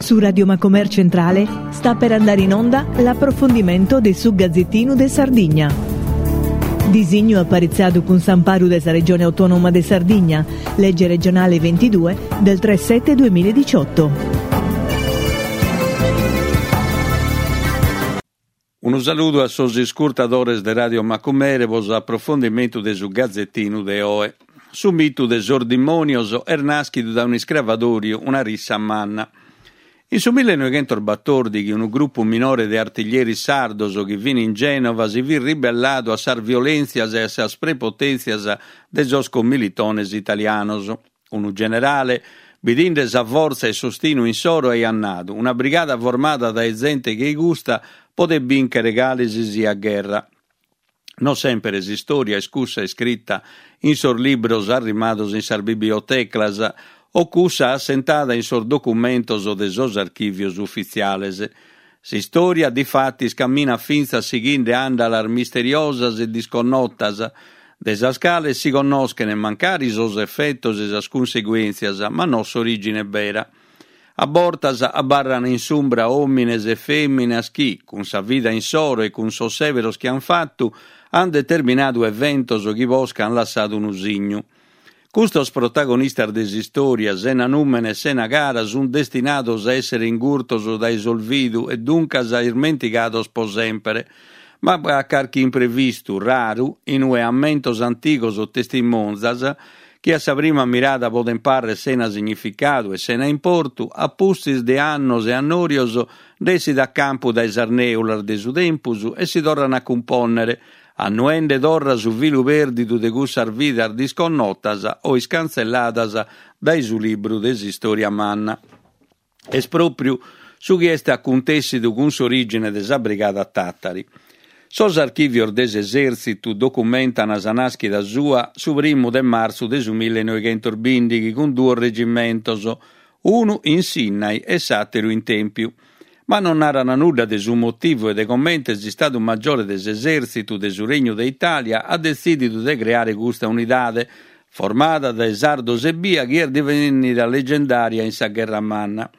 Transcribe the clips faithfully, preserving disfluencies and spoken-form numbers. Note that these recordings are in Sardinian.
Su Radio Macomer Centrale sta per andare in onda l'approfondimento de su Gazzettinu de Sardigna. Disignu aparitzadu cun s'amparu de sa Regione Autonoma de Sardigna, legge regionale ventidue del tre sette duemiladiciotto. Unu saludu a sos iscurtadores de Radio Macumere pro s'aprofondimentu de su Gazzettinu de oe. Su mitu de sos dimònios est nàschidu dae un'iscravadòriu, una rissa manna. In su millenoighentosbatòrdighi unu grupu minore de artiglieris sardos chi fin in Gènova si fit ribelladu a sas violèntzias e a sas prepotèntzias de sos commilitones italianos. Unu generale, bidinde sa fortza e s'ostinu insoro, aiat nadu: una brigada formada dae zente che custa podet bìnchere cale si siat gherra. Non sempre s'istòria est cussa iscrita in sos libros arrimados in sas bibliotecas o cussa assentada in sos documentos de sos archìvios ufitziales. S'istòria, difatis, caminat fintzas sighende àndalas misteriosas e disconnotas, de sas cales si connoschent mancari sos efetos e sas cunseguèntzias, ma no s'orìgine bera. A bortas abarran in s'umbra òmines e fèminas chi, cun sa vida insoro e cun sos sèberos chi an fatu, an determinadu eventos chi posca an lassadu unu signu. Custos protagonistas de s'istòria, sena nùmene e sena cara, sunt destinados a èssere ingurtos dae s'olvidu e duncas ismentigados pro semper. Ma b'at carchi imprevistu raru in ue ammentos antigos o testimonzas, chi a sa prima mirada podent pàrrere sena significadu e sena importu, a pustis de annos e annòrios nd'essit a campu dae sas nèulas de su tempus e si torran a cumpònnere, annuende torra su filu pèrdidu de cussas vidas disconnotas o iscantzelladas dae su libru de s'istòria manna. Est pròpriu su chi est acuntèssidu cun s'orìgine de sa Brigada Tàtari. Sos archìvios de s'esèrtzitu documentan sa nàschida sua su primu de martzu de su millenoighentosbìndighi cun duos regimentos, unu in Sinnai e s'àteru in Tèmpiu. Ma non naran nudda de su motivu e de comente s'Istadu Maggiore de s'Esèrtzitu de su Regnu de Itàlia at detzìdidu de creare custa unidade, formada dae sardos ebbia chi est divennida legendària in sa Gherra Manna.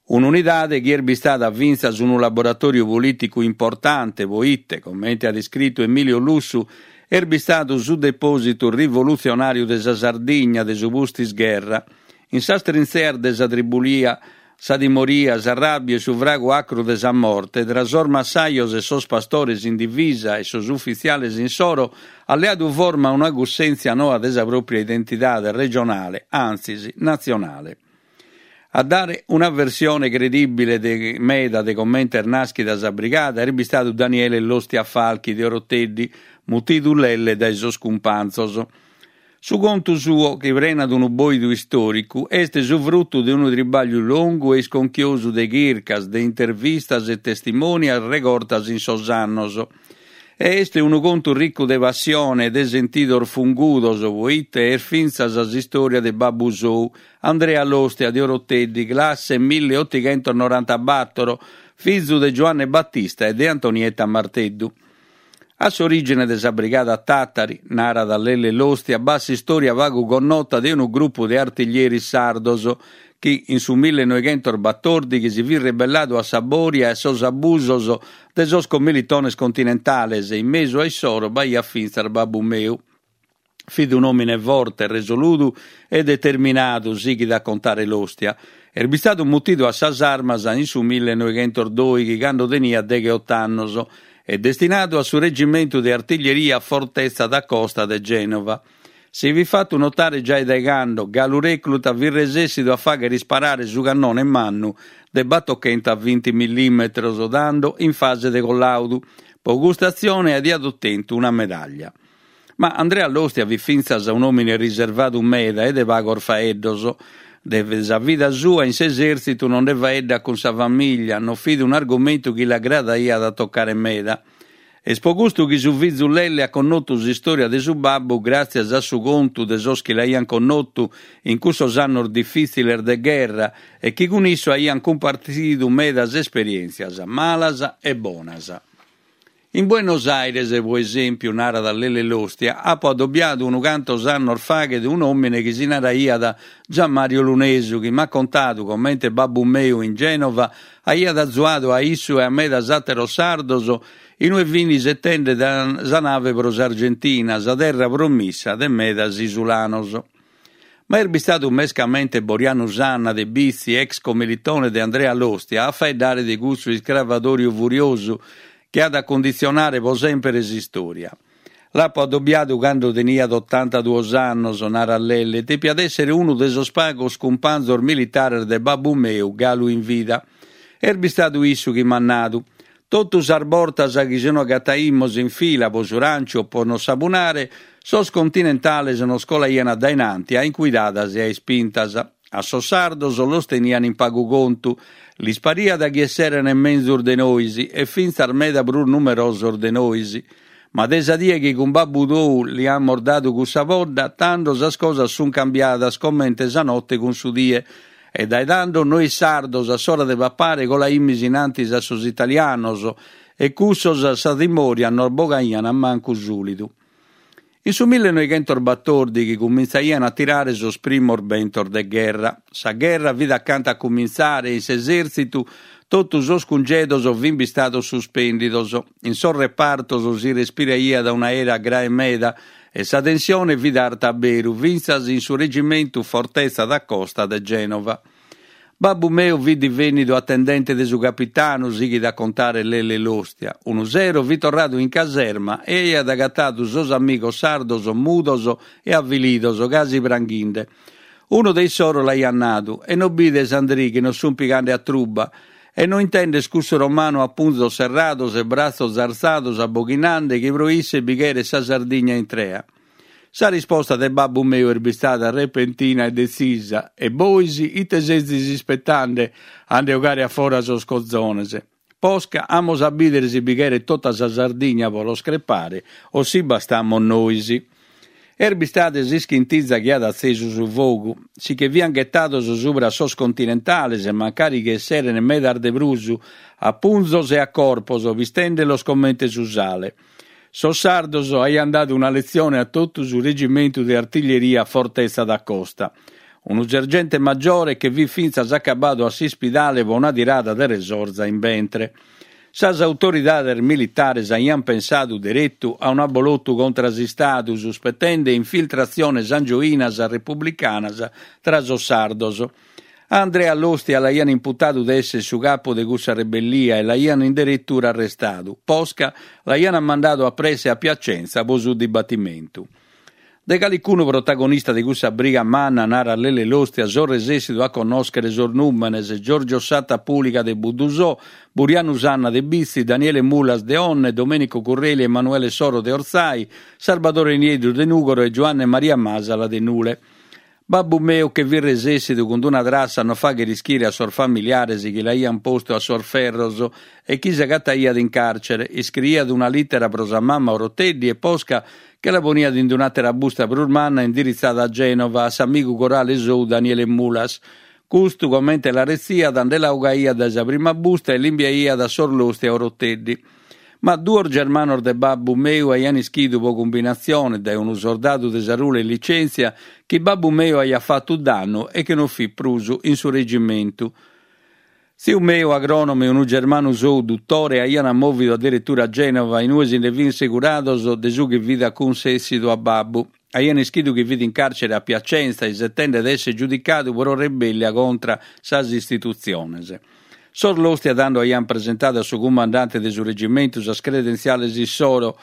Un'unidade chi est bistada fintzas unu laboratòriu polìticu importante, poite, comente at iscritu Emilio Lussu, est bistadu su depòsitu rivolutzionàriu de sa Sardigna de su pustis-gherra. In sas trintzeas de sa tribulia, sa timoria, s'arràbiu e su fragu acru de sa morte, tra sos massajos e sos pastores in divisa e sos ufitziales insoro, at leadu forma una cussèntzia noa de sa pròpria identidade regionale, antzis natzionale. A dare una versione credìbile de meda de comente est nàschida sa brigada est bistadu Daniele Lostia Falchi de Oroteddi, mutidu Lelle dae sos cumpanzos. Su contu suo, chi prenat unu bòidu istòricu, est su frutu de unu tribàgliu longu e isconchiosu de chircas, de intervistas e testimonias regortas in sos annos. E est unu contu ricu de passione e de sentidos fungudos, poite est fintzas s'istòria de babbu sou, Andrea Lostia de Oroteddi, classe milleotighentos norantabator, fizu de Giuanne Battista e de Antonietta Marteddu. A s'orìgine de sa Brigada Tàtari, narat Lelle Lostia, b'at s'istòria pagu connota de unu grupu de artiglieris sardos chi in su millenoighentosbatòrdighi si fit rebelladu a sa bòria e a sos abusos de sos commilitones continentales e in mesu a issoro b'aiat fintzas babbu meu. Fit un'òmine forte, resoludu e determinadu, sighit a contare Lostia. Est bistadu mutidu a sas armas in su millenoighentosdòighi, cando teniat degheoto annos, e destinadu a su regimentu de artiglieria Fortezza da Costa de Gènova. Si fit fatu notare giai dae cando, galu recluta, fit resèssidu a fàghere isparare su cannone mannu de batochentovinti millìmetros, tando in fase de collàudu. Pro custa atzione aiat otentu una medàllia. Ma Andrea Lostia fit fintzas un'òmine riservadu meda e de pagos faeddos. De sa vida sua in s'esèrtzitu non nde faeddat cun sa famìllia, non fit un'argumentu chi l'agradaiat a tocare meda. Est pro custu chi su fizu Lelle at connotu s'istòria de su babbu gràtzias a su contu de sos chi l'aiant connotu in cussos annos difìtziles de gherra e chi cun issu aiant cumpartzidu medas esperièntzias, malas e bonas. In Buenos Aires, pro esèmpiu, narat Lelle Lostia, apo adobiadu unu cantos annos faghet un'òmine chi si naraiat Gianmario Lunesu, chi m'at contadu comente babbu meu in Gènova aiat azuadu a issu e a medas àteros sardos in ue fin isetende sa nave pro s'Argentina, sa terra promissa de medas isulanos. Ma est bistadu mescamente Borianu Sanna de Bitzi, ex comilitone de Andrea Lostia, a faeddare de cussu iscravadòriu furiosu chi at a cunditzionare pro semper s'istòria. L'apo adobiadu cando teniat otantaduos annos, narat Lelle, depiat èssere unu de sos pagos cumpanzos militares de babbu meu galu in vida. Est bistadu issu chi m'at nadu. Totu sas bortas chi si no agataimus in fila pro su rànciu o pro nos sabunare, sos continentales nos colaian dae nanti a incuidadas e a ispintas. A sos sardos los tenian in pagu contu, lis pariat chi esseren menzus de nois e fintzas meda prus numerosos de nois. Ma de sa die chi cun babbu tou li amus dadu cussa podda, tando sas cosas sun cambiadas comente sa note cun su die. E dae tando nois sardos a s'ora de papare colaimis in antis a sos italianos e cussos a sa timòria nos bogaian mancu sùlidu. In su millenoighentosbatòrdighi cumintzaian a tirare sos primos bentos de gherra. Sa gherra fit acanta a cumintzare e in s'esèrtzitu totu sos cungedos fin bistados suspèndidos. In sos repartos si respiraiat un'aera grae meda e sa tensione fit arta a beru, fintzas in su regimentu Fortezza da Costa de Gènova. Babbu meu fit divènnidu atendente de su capitanu, sighit a contare Lelle Lostia. Unu sero fit torradu in caserma e aiat agatadu sos amigos sardos mudos e avilidos, casi pranghinde. Unu de issoro l'aiat nadu, e no bides, Andrì, chi nos sunt pigande a truba? E no intendes cussu romanu a punzos serrados e bratzos artzados aboghinande chi pro isse bi cheret sa Sardigna intrea? Sa risposta de babbu meu est bistada repentina e detzisa, e bois ite sezis ispetande a nde 'ogare a fora sos cozones? Posca amus a bìdere si bi cheret tota sa Sardigna pro los crepare o si bastamus nois. Est bistada s'ischintiza chi at atzesu su fogu. Si che fiant ghetados subra sos continentales, mancari chi esseren medas de prus, a punzos e a corpos, pistende·los comente su sale. Sos sardos aiant dadu una letzione a totu su regimentu de artiglieria Fortezza da Costa. Unu sergente maggiore che fit fintzas acabadu a s'ispidale pro una tirada de resorza in bentre. Sas autoridades militares aiant pensadu deretu a un'abolotu contra s'Istadu, suspetende infiltratziones angioinas republicanas tra sos sardos. A Andrea Lostia l'aiant imputadu de èssere su capu de cussa rebellia e l'aiant in deretura arrestadu. Posca l'aiant mandadu a presse a Piacenza pro su dibatimentu. De calicunu protagonista de cussa briga manna, narat Lelle Lostia, so resessidu a connòschere sos nùmenes, Giorgio Satta Puliga de Buddusò, Burianu Sanna de Bitzi, Daniele Mulas de Onne, Domenico Curreli e Emanuele Soro de Orzai, Sarbadore Nieddu de Nùgoro e Giuanne Maria Masala de Nule. Babbu meu che fit resessidu cun una trassa a no fàghere ischire a sos familiares chi l'aiant postu a sos ferros e chi s'agataiat in càrcere, iscriiat una lìtera pro sa mama Oroteddi e posca che la poniat in un'àtera busta prus manna indiritzada a Gènova a s'amigu corale sou Daniele Mulas. Custu, comente la retziat, nde la 'ogaiat dae sa prima busta e l'imbiaiat a sos Lostia Oroteddi. Ma duos germanos de babbu meu aiant ischidu pro cumbinatzione dae unu sordadu de Sarule in licèntzia chi babbu meu aiat fatu dannu e chi non fit prus in su regimentu. Tziu meu agrònomu e unu germanu sou dutore aiant mòvidu adderetura a Gènova in ue si nde fint segurados de su chi fit acunsèssidu a babbu. Aiant ischidu chi fit in càrcere a Piacenza isetende de èssere giudicadu pro rebellia contra sas istitutziones. Sos Lostia tando aiant presentadu a su cumandante de su regimentu sas credentziales issoro,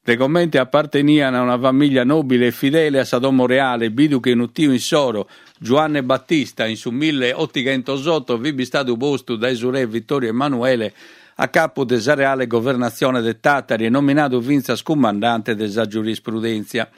de comente apartenian a una famìllia nòbile e fidele a sa domo reale, bidu chi unu tiu issoro, Giuanne Battista, in su milleotighentosoto fit bistadu postu dae su re Vittorio Emanuele a capu de sa Reale Governatzione de Tàtari e nominadu fintzas cumandante de sa giurisprudèntzia.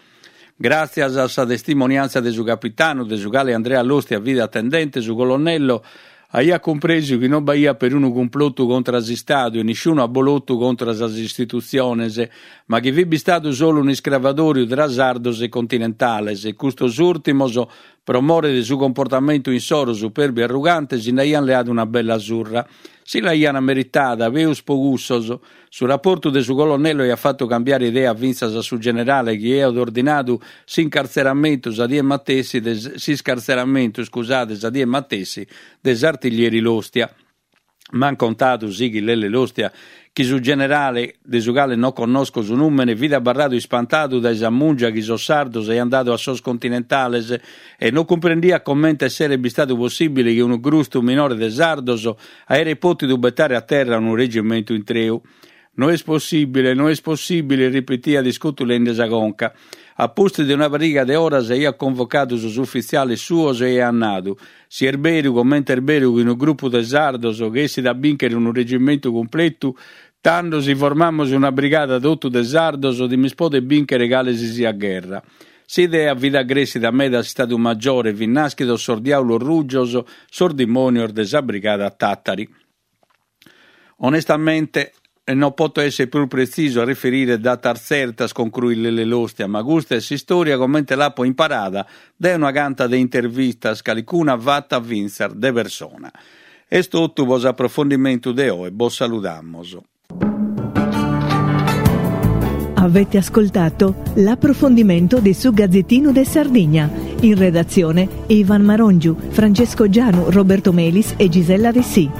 Gràtzias a sa testimoniàntzia de su capitanu, de su cale Andrea Lostia fit atendente, su colonnello aiat cumpresu chi non b'aiat perunu cumplotu contra s'Istadu e nisciunu abolotu contra sas istitutziones, ma chi fit bistadu solu un'iscravadòriu tra sardos e continentales, e custos ùrtimos Pro more de su comportamentu insoro superbu e arrugante si nd'aian leadu una bella surra. Si l'aian meritada, peus po cussos. Su raportu de su colonnello aiat fatu cambiare idea fintzas a su generale chi aiat ordinadu s'incartzeramentu sa die matessi de s'iscartzeramentu, scusade, sa die matessi de s'artiglieri Lostia. M'an contadu, sighit Lelle Lostia, chi su generale, de su cale no connosco su nùmene, fit abarradu ispantadu dae sa mùngia chi sos sardos aian dadu a sos continentales e no cumprendiat comente esseret bistadu possìbile chi unu grustu minore de sardos aeret pòtidu betare a terra unu regimentu intreu. No est possìbile, no est possìbile, ripetiat iscutulende sa conca. A pustis de una pariga de oras aiat convocadu sos ufitziales suos e aiat nadu, si est beru comente est beru chi unu grupu de sardos chessit a bìnchere unu regimentu cumpletu, tando si formamus una brigada totu de sardos dimis poder bìnchere cale si siat gherra. S'idea fit agressida meda a s'Istadu Maggiore, fin nàschidos sos diàulos rujos, sos dimònios de sa brigada Tàtari. Onestamente, no poto èssere prus pretzisu a riferire datas tzertas, concruit Lelle Lostia, ma custa est s'istòria comente l'apo imparada dae una canta de intervistas, calicuna fata fintzas de persona. Est totu pro s'aprofondimentu de oe, bos saludamus. Avete ascoltato l'approfondimento di su Gazzettino de Sardigna. In redazione Ivan Marongiu, Francesco Gianu, Roberto Melis e Gisella Dessì.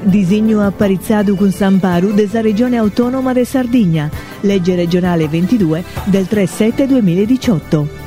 Disignu aparitzadu cun s'amparu de sa Regione Autonoma de Sardigna, legge regionale ventidue del tre sette duemiladiciotto.